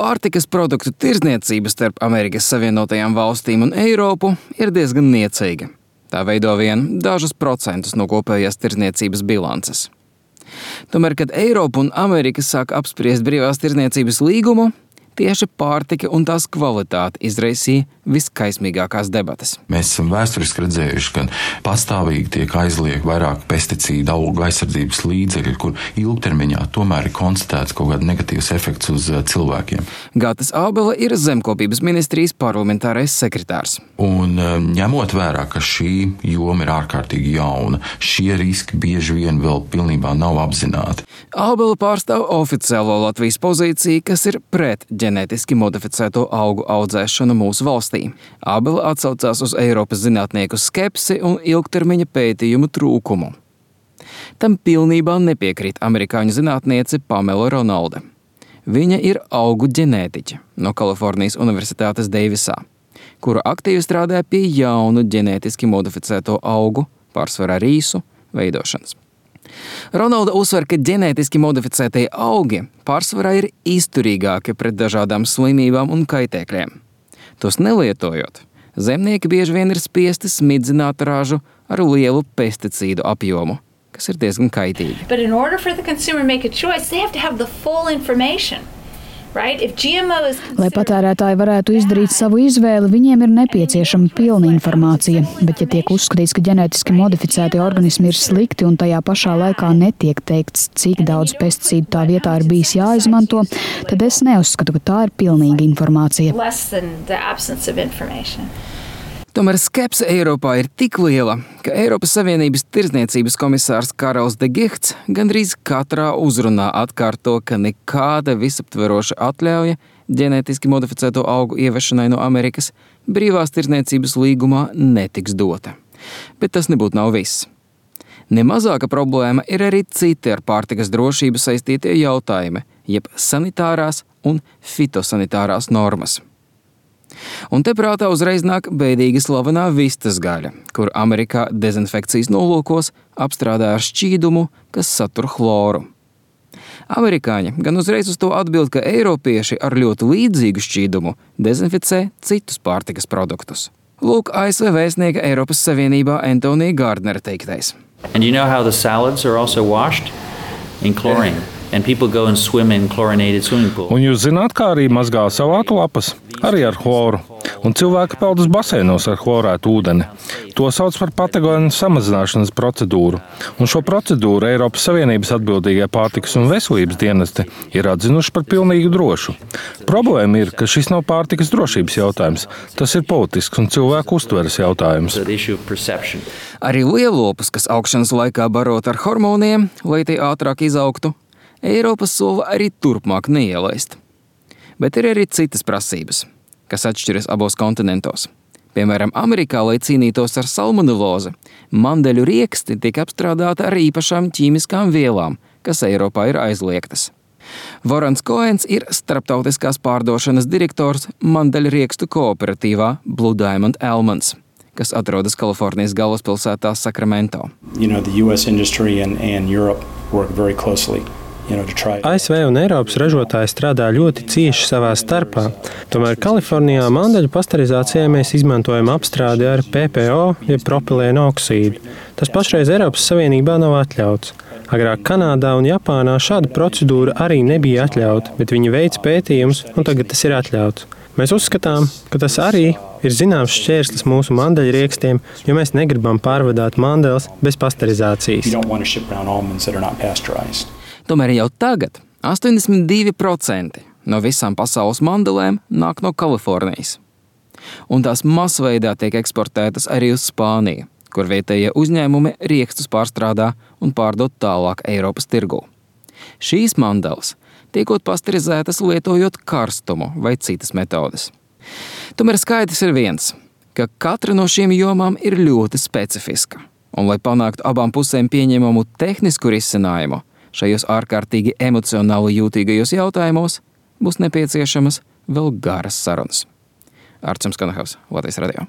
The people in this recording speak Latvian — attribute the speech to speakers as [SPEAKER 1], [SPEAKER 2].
[SPEAKER 1] Pārtikas produktu tirdzniecība starp Amerikas Savienotajām valstīm un Eiropu ir diezgan niecīga. Tā veido vien dažus procentus no kopējās tirdzniecības bilances. Tomēr, kad Eiropa un Amerika sāk apspriest brīvās tirdzniecības līgumu, tieši pārtika un tās kvalitāte izraisīja viskaismīgākās debates.
[SPEAKER 2] Mēs esam vēsturiski redzējuši, ka pastāvīgi tiek aizliegti vairāk pesticīdu, augu aizsardzības līdzekļi, kur ilgtermiņā tomēr ir konstatēts kaut kāds negatīvs efekts uz cilvēkiem.
[SPEAKER 1] Gatis Ābele ir Zemkopības ministrijas parlamentārais sekretārs.
[SPEAKER 2] Un ņemot vērā, ka šī joma ir ārkārtīgi jauna, šie riski bieži vien vēl pilnībā nav apzināti.
[SPEAKER 1] Ābele pārstāv oficiālo Latvijas pozīciju, kas ir pret ģenētiski modificēto augu audzēšanu mūsu valstī. Ābele atsaucās uz Eiropas zinātnieku skepsi un ilgtermiņa pētījumu trūkumu. Tam pilnībā nepiekrīt amerikāņu zinātniece Pamela Ronalde. Viņa ir augu ģenētiķe no Kalifornijas Universitātes Deivisā, kura aktīvi strādā pie jaunu ģenētiski modificēto augu, pārsvarā rīsu, veidošanas. Ronalda uzsver, ka ģenētiski modificētie augi pārsvarā ir izturīgāki pret dažādām slimībām un kaitēkļiem. Tos nelietojot, zemnieki bieži vien ir spiesti smidzināt ražu ar lielu pesticīdu apjomu, kas ir diezgan kaitīgi.
[SPEAKER 3] But in order for the consumer to make a choice, they have to have the full information.
[SPEAKER 4] Lai patērētāji varētu izdarīt savu izvēli, viņiem ir nepieciešama pilna informācija, bet ja tiek uzskatīts, ka ģenētiski modificēti organismi ir slikti un tajā pašā laikā netiek teikts, cik daudz pesticīdu tā vietā ir bijis jāizmanto, tad es neuzskatu, ka tā ir pilnīga informācija.
[SPEAKER 1] Tomēr skepse Eiropā ir tik liela, ka Eiropas Savienības tirdzniecības komisārs Karels de Guchts gandrīz katrā uzrunā atkārto, ka nekāda visaptveroša atļauja ģenētiski modificēto augu ievešanai no Amerikas brīvās tirdzniecības līgumā netiks dota. Bet tas nebūtu nav viss. Nemazāka problēma ir arī citi ar pārtikas drošību saistītie jautājumi, jeb sanitārās un fitosanitārās normas. Un te prātā uzreiz nāk bēdīgi slavenā vistas gaļa, kur Amerikā dezinfekcijas nolūkos apstrādā ar šķīdumu, kas satur chloru. Amerikāņi gan uzreiz uz to atbild, ka eiropieši ar ļoti līdzīgu šķīdumu dezinficē citus pārtikas produktus. Lūk, ASV vēstnieka Eiropas Savienībā Antonija Gardnera teiktais.
[SPEAKER 5] And you know how the salads are also washed in chlorine? And people go and swim in chlorinated swimming pools.
[SPEAKER 6] Un jūs zināt, kā arī mazgā salātu lapas, arī ar chloru. Un cilvēki peld uz baseinos ar chlorētu ūdeni. To sauc par patogēnu samazināšanas procedūru. Un šo procedūru Eiropas Savienības atbildīgie pārtikas un veselības dienesti ir atzinuši par pilnīgi drošu. Problēma ir, ka šis nav pārtikas drošības jautājums. Tas ir politisks un cilvēku uztveres jautājums.
[SPEAKER 1] Arī lielopus, kas augšanas laikā barot ar hormoniem, lai tie ātrāk izaugtu, Eiropa sola arī turpmāk neielaist. Bet ir arī citas prasības, kas atšķiras abos kontinentos. Piemēram, Amerikā, lai cīnītos ar salmonelozi, mandeļu rieksti tiek apstrādāti ar īpašām ķīmiskām vielām, kas Eiropā ir aizliegtas. Vorons Koens ir starptautiskās pārdošanas direktors mandeļu riekstu kooperatīvā Blue Diamond Almonds, kas atrodas Kalifornijas galvaspilsētā Sacramento.
[SPEAKER 7] The US industry and Europe work very closely.
[SPEAKER 8] ASV un Eiropas ražotāji strādā ļoti cieši savā starpā. Tomēr Kalifornijā mandeļu pasterizācijai mēs izmantojam apstrādi ar PPO, jeb propilēnu oksīdu. Tas pašreiz Eiropas Savienībā nav atļauts. Agrāk Kanādā un Japānā šāda procedūra arī nebija atļauta, bet viņi veic pētījumus, un tagad tas ir atļauts. Mēs uzskatām, ka tas arī ir zināms šķērslis mūsu mandeļriekstiem, jo mēs negribam pārvadāt mandeles bez pasterizācijas.
[SPEAKER 1] Tomēr jau tagad 82% no visām pasaules mandelēm nāk no Kalifornijas. Un tās masveidā tiek eksportētas arī uz Spāniju, kur vietējie uzņēmumi riekstus pārstrādā un pārdod tālāk Eiropas tirgū. Šīs mandeles tiekot pasterizētas lietojot karstumu vai citas metodes. Tomēr skaidrs ir viens, ka katra no šīm jomām ir ļoti specifiska. Un, lai panāktu abām pusēm pieņemamu tehnisku risinājumu, šajos ārkārtīgi emocionāli jūtīgajos jautājumos būs nepieciešamas vēl garas sarunas. Arčuns Kanahavs, Latvijas radio.